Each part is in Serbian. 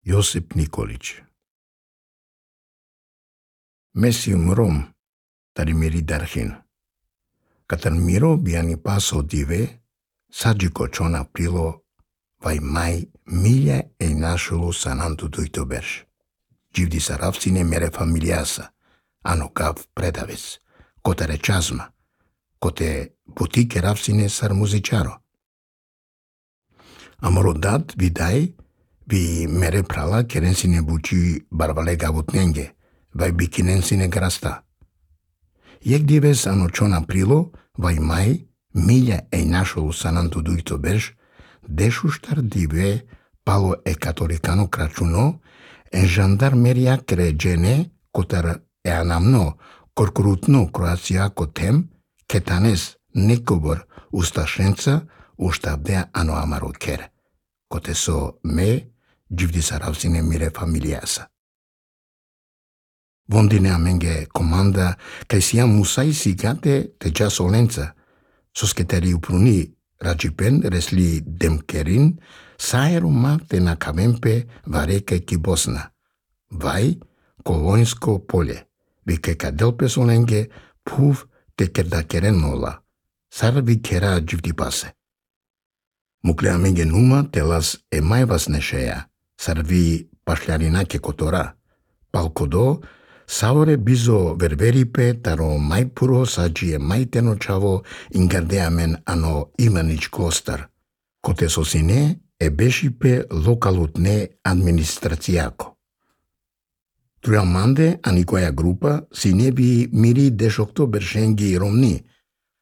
Josip Nikolić. Mesium Rom, tarimiri darhin. Katan miro biani paso dive, sađiko čona prilo, vai mai milja e našulu sanantu duito berš. Đivdi saravsine mere familiasa, ano kav predavec, kotare čazma, kote butike ravsine sar muzičaro. Amoro dat vidai, vi mere prala kerensine buci barvale gavutnenge, vai bikinensine grasta. Jek dives ano čona prilo, vai mai milja e našulu sanantu duito berš, deșuștar dive palo e catolicano craciuno, en jandarmeria cregene cotar e anamno, corcurutno Croația cotem, ketanes nekobor ustașența uștabdea ano amaro ker, coteso me đivdi saravsine mire familiasa. Vondine amenge comanda kai siam musai sigate te ja solența, sosketeri upruni rajipen resli demkerin, saeruma te na kavempe vareke kibosna. Vai, kolonsko polje, vike kadelpe solenge, puv te kerdakeren nola. Sar vi kera đivdi pase. Mukle amenge numa te las e mai vas nešeja, sar vi pašljarinake kotora. Palkodo, saore bizo ververipe taro mai puro sađi e mai teno čavo ingardeamen ano Ivanić Klostar, kote sosine e bešipe lokalutne administracijako. Truamande anikoja grupa sinebi miri dešokto beršengi romni,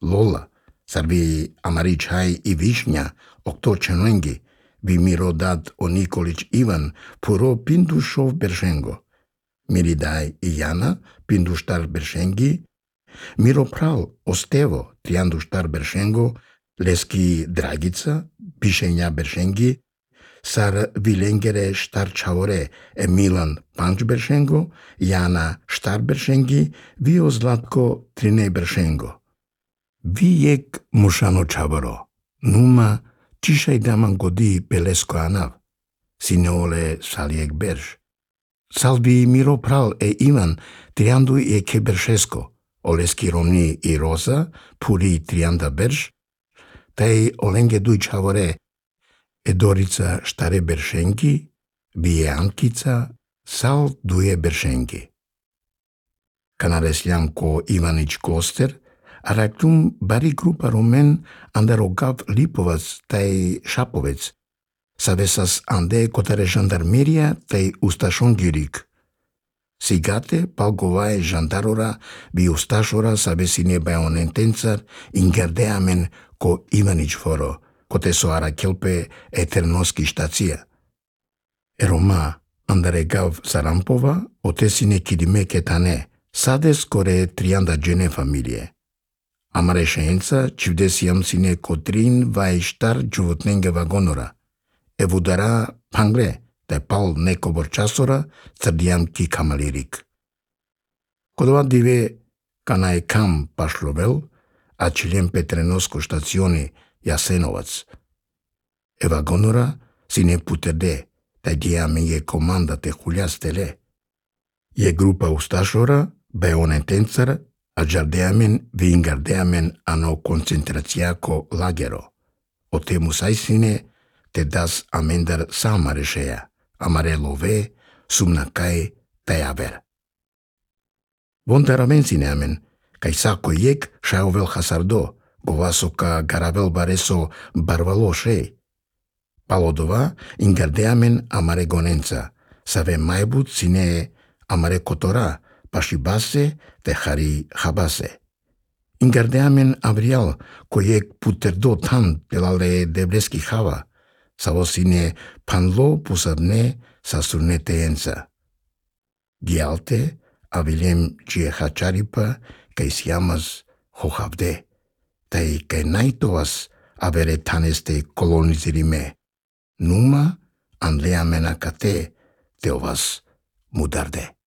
lola, sarvi amaričaj i višnja, okto čenengi, vi miro dat o Nikolić Ivan puro pindušov beršengo. Miridai i Jana, pinduštar beršengi, miro pral Ostevo, trianduštar beršengo, leski Dragica, pišenja beršengi, sar vilengere štar čavore e Milan panč beršengo, Jana štar beršengi, vio Zlatko trine beršengo. Vijek mušano čavoro, numa čišaj daman godi pelesko anav, sineole salijek berš. Salvi miro pral e Ivan triandu e keberšesko, oleski romni i rosa, puri trianda berš, taj olenge duj čavore e Dorica štare beršengi, vije Ankica, sal duje beršengi. Kanaresljam ko Ivanić Kloster, araktum bari grupa romen andarogav Lipovac taj Šapovec, savesas ande kotare jandarmeria tai ustașongirik. Sigate palgovae jandarora vi ustașora savesine baionentențar ingardeamen ko Ivanić foro, kote so arakelpe eternoski štacija. Eroma andaregav Sarampova otesine kidime ketane, sades kore trianda gene familie. Amare šeența civdesiam sine kotrin vai štar džuvotnenge vagonora. Evudara pangre, te pal neko borčasora, crdiam ki kamalirik. Kodova dive kanaj kam pašlovel, a čiljem petrenosko štacioni Jasenovac. Evagonora sine puterde, te diame je komanda te huljastele. Je grupa ustašora, beonentencar, a jardeamen vi ingardeamen ano koncentracijako lagero. O te musajsine, te das amendar sama rešeja, amare love, sumnakai tajaver. Vontaravensine amen, kai sako jek šajovel hasardo, govaso ka garavel bareso barvalo šej. Palodova ingardeamen amare gonenca, save maibut sine amare kotora, pašibase te hari habase. Ingardeamen avrial, ko jek puterdo tam pelale debreski hava, savosine panlo pusadne sasurneteența. Gialte avilem cie hacharipa kai siamas hohavde, tai kai naitovas avere taneste kolonizirime. Numa anleamena kate teovas mudarde.